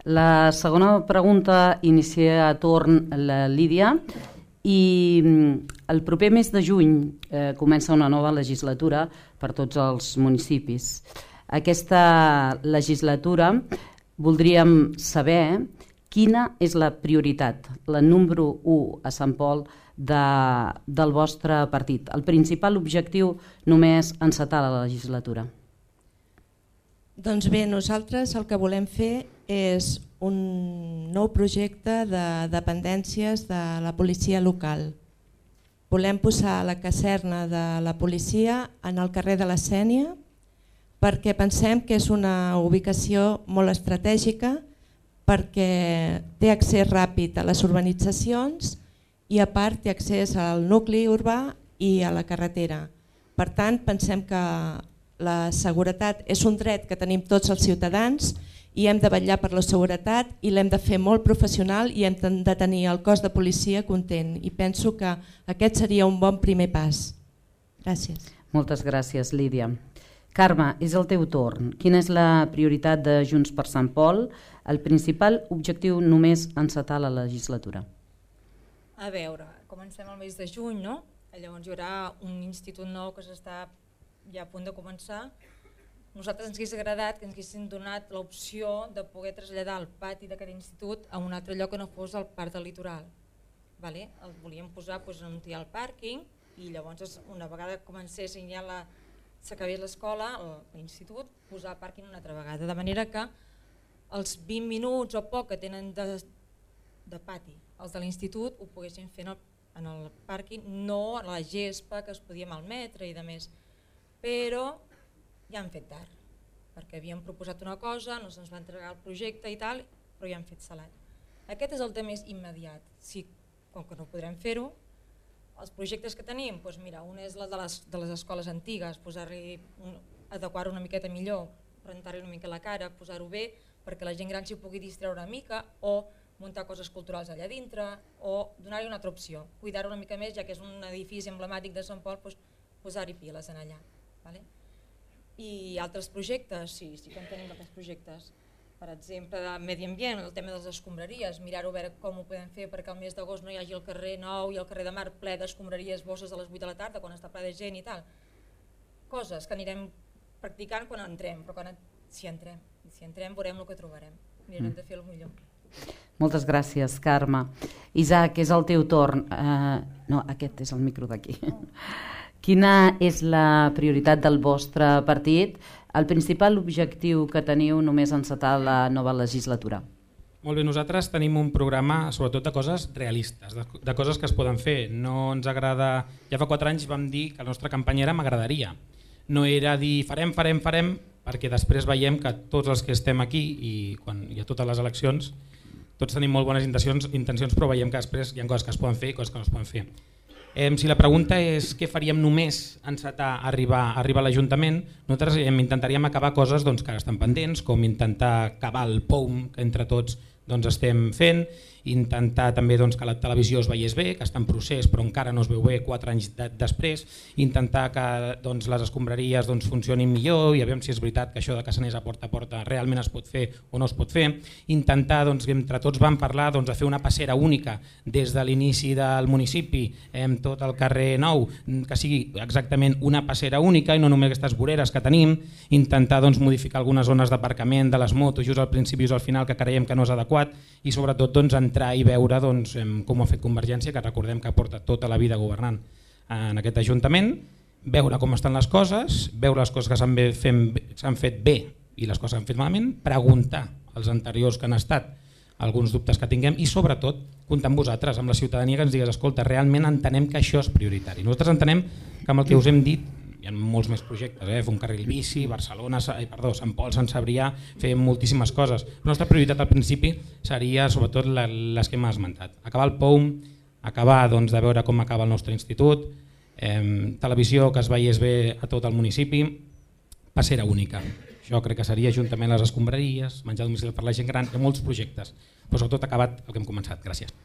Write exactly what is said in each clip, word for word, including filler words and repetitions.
La segona pregunta inicia a torn la Lídia i el proper mes de juny eh, comença una nova legislatura per tots els municipis. Aquesta legislatura voldríem saber quina és la prioritat, la número u a Sant Pol de, del vostre partit. El principal objectiu només encetar la legislatura. Doncs bé, nosaltres el que volem fer és un nou projecte de dependències de la policia local. Volem posar la caserna de la policia en el carrer de la Sénia perquè pensem que és una ubicació molt estratègica, perquè té accés ràpid a les urbanitzacions i a part té accés al nucli urbà i a la carretera. Per tant, pensem que la seguretat és un dret que tenim tots els ciutadans i hem de vetllar per la seguretat i l'hem de fer molt professional i hem de tenir el cos de policia content i penso que aquest seria un bon primer pas. Gràcies. Moltes gràcies, Lídia. Carme, és el teu torn. Quina és la prioritat de Junts per Sant Pol? El principal objectiu només encetar la legislatura. A veure, comencem el mes de juny, no? Llavors hi haurà un institut nou que s'està ja a punt de començar. Nosaltres ens hauria agradat que ens haguessin donat l'opció de poder traslladar el pati d'aquest institut a un altre lloc que no fos el parc del litoral. Vale? El volíem posar doncs, on hi ha el pàrquing i llavors una vegada comencessin ja la, s'acabés l'escola, l'institut, posar pàrquing una altra vegada. De manera que els vint minuts o poc que tenen de, de pati els de l'institut ho poguessin fer en el, en el pàrquing, no a la gespa que es podia malmetre i de més. Però ja han fet tard, perquè havíem proposat una cosa, no se'ns va entregar el projecte i tal, però ja han fet salat. Aquest és el tema més immediat. Si, com que no podrem fer-ho, els projectes que tenim, doncs mira, un és el de les, de les escoles antigues, posar-li, adequar-ho una miqueta millor, rentar-li una mica la cara, posar-ho bé, perquè la gent gran s'hi pugui distreure una mica, o muntar coses culturals allà dintre, o donar-li una altra opció, cuidar-ho una mica més, ja que és un edifici emblemàtic de Sant Pol, doncs posar-hi piles en allà. Vale? I altres projectes, sí, sí que en tenim altres projectes. Per exemple, de medi ambient, el tema de les escombraries, mirar-ho a veure com ho podem fer perquè el mes d'agost no hi hagi el carrer Nou i el carrer de Mar ple d'escombraries, bosses a les vuit de la tarda quan està ple de gent i tal. Coses que anirem practicant quan entrem, però quan, si entrem, si entrem veurem el que trobarem. Mirarem de fer el millor. Moltes gràcies, Carme. Isaac, és el teu torn. Uh, no, aquest és el micro d'aquí. Quina és la prioritat del vostre partit? El principal objectiu que teniu només encetar la nova legislatura? Molt bé, nosaltres tenim un programa sobretot de coses realistes, de, de coses que es poden fer. No ens agrada... Ja fa quatre anys vam dir que la nostra campanya era m'agradaria. No era dir farem, farem, farem, perquè després veiem que tots els que estem aquí i quan hi ha totes les eleccions tots tenim molt bones intencions, intencions però veiem que després hi ha coses que es poden fer i coses que no es poden fer. Eh, si la pregunta és què faríem només encetar arribar, arribar a l'Ajuntament, nosaltres eh, intentaríem acabar coses doncs, que estan pendents, com intentar acabar el P O U M que entre tots doncs, estem fent, intentar també doncs, que la televisió es veiés bé, que està en procés però encara no es veu bé quatre anys de, després, intentar que doncs, les escombraries doncs, funcionin millor i aviam si és veritat que això de Cassaners a porta a porta realment es pot fer o no es pot fer, intentar, doncs, entre tots vam parlar doncs, de fer una passera única des de l'inici del municipi amb tot el carrer Nou, que sigui exactament una passera única i no només aquestes voreres que tenim, intentar doncs, modificar algunes zones d'aparcament de les motos just al principi i just al final que creiem que no és adequat i sobretot doncs, entrar i veure doncs, com ho ha fet Convergència, que recordem que porta tota la vida governant en aquest Ajuntament, veure com estan les coses, veure les coses que s'han fet bé i les coses que s'han fet malament, preguntar als anteriors que han estat alguns dubtes que tinguem i sobretot comptar amb vosaltres, amb la ciutadania que ens digues escolta, realment entenem que això és prioritari. Nosaltres entenem que amb el que us hem dit hi ha molts més projectes, eh? Fer un carril bici, Barcelona, perdó, Sant Pol, Sant Cebrià, fer moltíssimes coses. La nostra prioritat al principi seria sobretot les que hem esmentat. Acabar el P O U M, acabar doncs, de veure com acaba el nostre institut, eh, televisió que es veiés bé a tot el municipi, passera única. Això crec que seria juntament les escombraries, menjar a domicili per la gent gran, hi ha molts projectes, però sobretot acabat el que hem començat. Gràcies.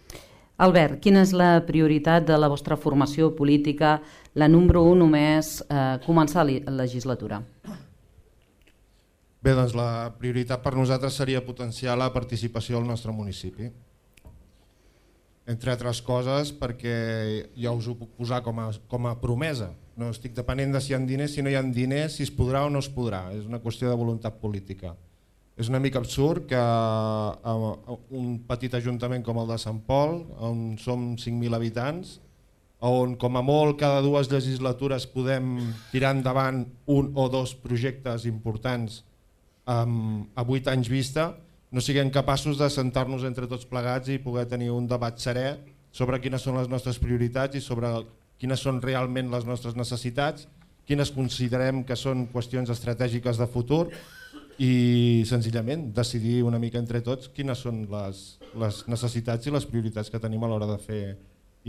Albert, quina és la prioritat de la vostra formació política, la número un només eh, començar la legislatura? Bé, doncs la prioritat per nosaltres seria potenciar la participació al nostre municipi. Entre altres coses perquè ja us ho puc posar com a, com a promesa. No estic depenent de si hi ha diners, si no hi ha diners, si es podrà o no es podrà. És una qüestió de voluntat política. És una mica absurd que un petit ajuntament com el de Sant Pol, on som cinc mil habitants, on com a molt cada dues legislatures podem tirar endavant un o dos projectes importants a vuit anys vista, no siguem capaços de sentar-nos entre tots plegats i poder tenir un debat serè sobre quines són les nostres prioritats i sobre quines són realment les nostres necessitats, quines considerem que són qüestions estratègiques de futur i senzillament decidir una mica entre tots quines són les, les necessitats i les prioritats que tenim a l'hora de fer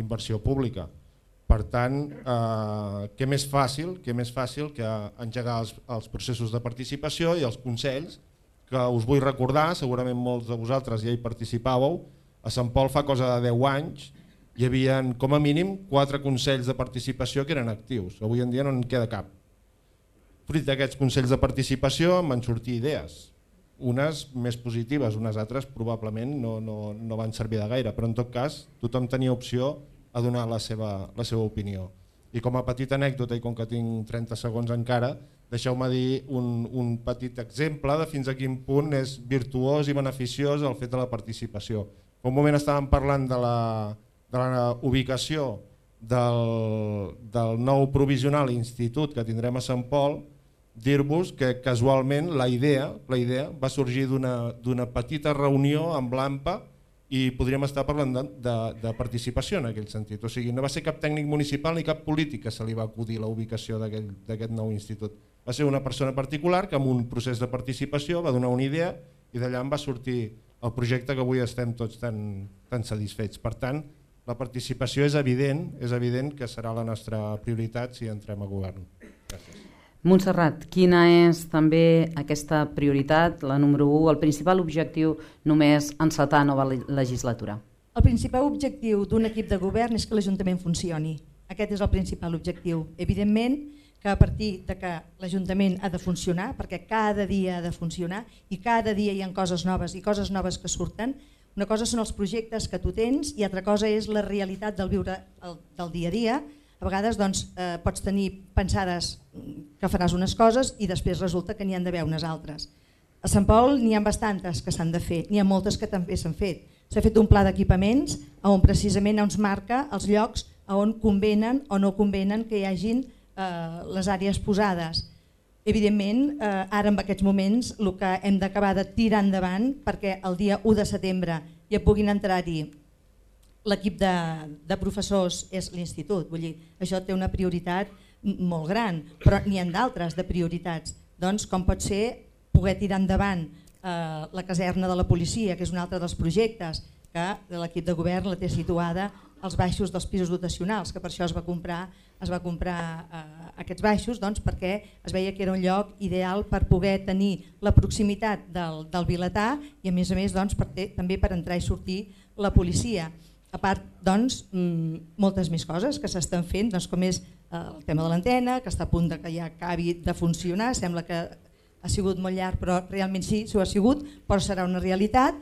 inversió pública. Per tant, eh, què més fàcil, què més fàcil que engegar els, els processos de participació i els consells, que us vull recordar, segurament molts de vosaltres ja hi participàveu, a Sant Pol fa cosa de deu anys hi havia com a mínim quatre consells de participació que eren actius, avui en dia no en queda cap. Fruit d'aquests consells de participació en van sortir idees, unes més positives, unes altres probablement no, no, no van servir de gaire, però en tot cas tothom tenia opció a donar la seva, la seva opinió. I com a petita anècdota, i com que tinc trenta segons encara, deixeu-me dir un, un petit exemple de fins a quin punt és virtuós i beneficiós el fet de la participació. Fa un moment estàvem parlant de la, de la ubicació del, del nou provisional institut que tindrem a Sant Pol, dir-vos que casualment la idea, la idea va sorgir d'una d'una petita reunió amb l'AMPA i podríem estar parlant de, de, de participació en aquell sentit. O sigui, no va ser cap tècnic municipal ni cap polític que se li va acudir la ubicació d'aquest nou institut. Va ser una persona particular que amb un procés de participació va donar una idea i d'allà en va sortir el projecte que avui estem tots tan, tan satisfets. Per tant, la participació és evident, és evident que serà la nostra prioritat si entrem a govern. Gràcies. Montserrat, quina és també aquesta prioritat, la número u, el principal objectiu només encetar nova legislatura? El principal objectiu d'un equip de govern és que l'Ajuntament funcioni. Aquest és el principal objectiu. Evidentment que a partir de que l'Ajuntament ha de funcionar, perquè cada dia ha de funcionar i cada dia hi ha coses noves i coses noves que surten, una cosa són els projectes que tu tens i altra cosa és la realitat del viure el, del dia a dia. A vegades doncs, eh, pots tenir pensades que faràs unes coses i després resulta que n'hi han d'haver unes altres. A Sant Pol n'hi ha bastantes que s'han de fer, n'hi ha moltes que també s'han fet. S'ha fet un pla d'equipaments on precisament ens marca els llocs on convenen o no convenen que hi hagin eh, les àrees posades. Evidentment, eh, ara en aquests moments el que hem d'acabar de tirar endavant perquè el dia u de setembre ja puguin entrar-hi l'equip de, de professors és l'institut, vull dir, això té una prioritat molt gran, però n'hi ha d'altres de prioritats, doncs com pot ser poder tirar endavant eh, la caserna de la policia, que és un altre dels projectes que l'equip de govern la té situada als baixos dels pisos dotacionals, que per això es va comprar, es va comprar eh, aquests baixos, doncs, perquè es veia que era un lloc ideal per poder tenir la proximitat del, del vilatà i a més a més doncs, per ter, també per entrar i sortir la policia. A part, doncs, moltes més coses que s'estan fent, doncs, com és el tema de l'antena, que està a punt de que ja acabi de funcionar, sembla que ha sigut molt llarg, però realment sí, s'ho ha sigut, però serà una realitat.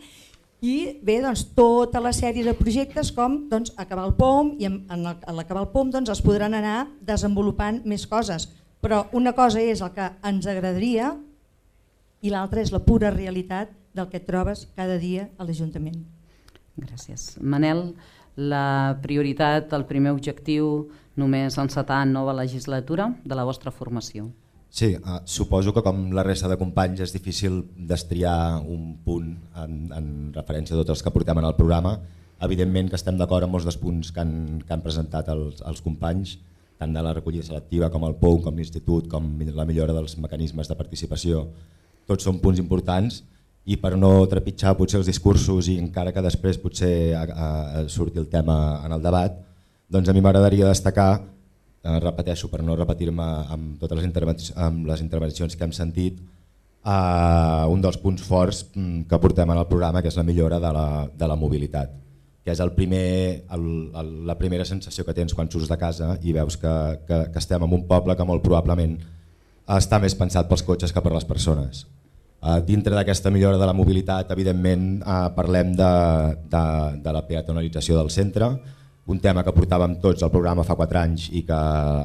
I bé, doncs, tota la sèrie de projectes com doncs, acabar el P O M, i en, en l'acabar el P O M doncs, es podran anar desenvolupant més coses. Però una cosa és el que ens agradaria i l'altra és la pura realitat del que et trobes cada dia a l'Ajuntament. Gràcies. Manel, la prioritat, el primer objectiu només encetar nova legislatura de la vostra formació? Sí, eh, suposo que com la resta de companys és difícil destriar un punt en, en referència a tots els que portem en el programa. Evidentment que estem d'acord amb molts dels punts que han, que han presentat els, els companys, tant de la recollida selectiva com el P O U, com l'Institut, com la millora dels mecanismes de participació. Tots són punts importants i per no trepitjar potser els discursos i encara que després potser a, a, a surti el tema en el debat, doncs a mi m'agradaria destacar, eh, repeteixo per no repetir-me amb totes les, intervenci amb les intervencions que hem sentit, eh, un dels punts forts que portem en el programa, que és la millora de la, de la mobilitat, que és el primer, el, el, la primera sensació que tens quan surts de casa i veus que, que, que estem en un poble que molt probablement està més pensat pels cotxes que per les persones. Uh, dintre d'aquesta millora de la mobilitat, evidentment, uh, parlem de, de, de la peatonalització del centre, un tema que portàvem tots al programa fa quatre anys i que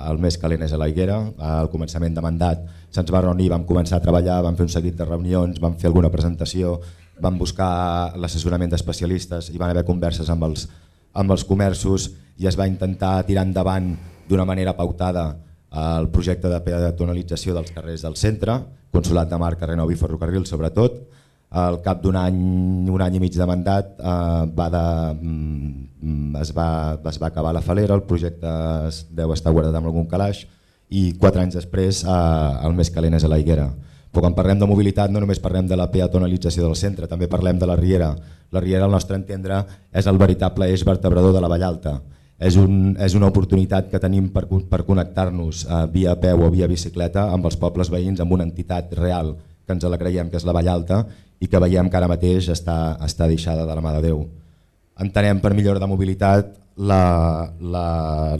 el més calent és a la Higuera. Al començament de mandat se'ns va reunir, vam començar a treballar, vam fer un seguit de reunions, vam fer alguna presentació, vam buscar l'assessorament d'especialistes i van haver converses amb els, amb els comerços i es va intentar tirar endavant d'una manera pautada el projecte de peatonalització dels carrers del centre, Consolat de Mar, Carrer Nou i Ferrocarril sobretot. Al cap d'un any, un any i mig de mandat eh, va de, mm, es, va, es va acabar la falera, el projecte es deu estar guardat amb algun calaix i quatre anys després eh, el més calent és a la Higuera. Però quan parlem de mobilitat no només parlem de la peatonalització del centre, també parlem de la Riera. La Riera, al nostre entendre, és el veritable eix vertebrador de la Vall Alta. És, un, és una oportunitat que tenim per, per connectar-nos eh, via peu o via bicicleta amb els pobles veïns, amb una entitat real que ens la creiem que és la Vall Alta i que veiem que ara mateix està, està deixada de la mà de Déu. Entenem per millora de mobilitat la, la,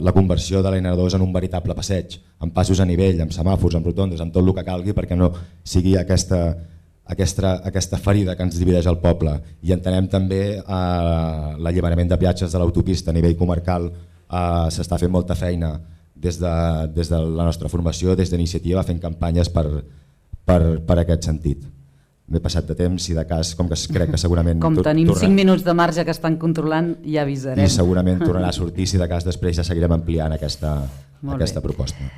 la conversió de l'N dos en un veritable passeig, amb passos a nivell, amb semàfors, amb rotondes, amb tot el que calgui perquè no sigui aquesta, aquesta, aquesta ferida que ens divideix el poble. I entenem també eh, l'alliberament de peatges de l'autopista a nivell comarcal. Eh, s'està fent molta feina des de, des de la nostra formació, des d'iniciativa, fent campanyes per, per, per aquest sentit. M'he passat de temps i de cas, com que crec que segurament... Com tenim cinc minuts de marge que estan controlant, ja avisarem. I segurament tornarà a sortir si de cas després ja seguirem ampliant aquesta, aquesta proposta.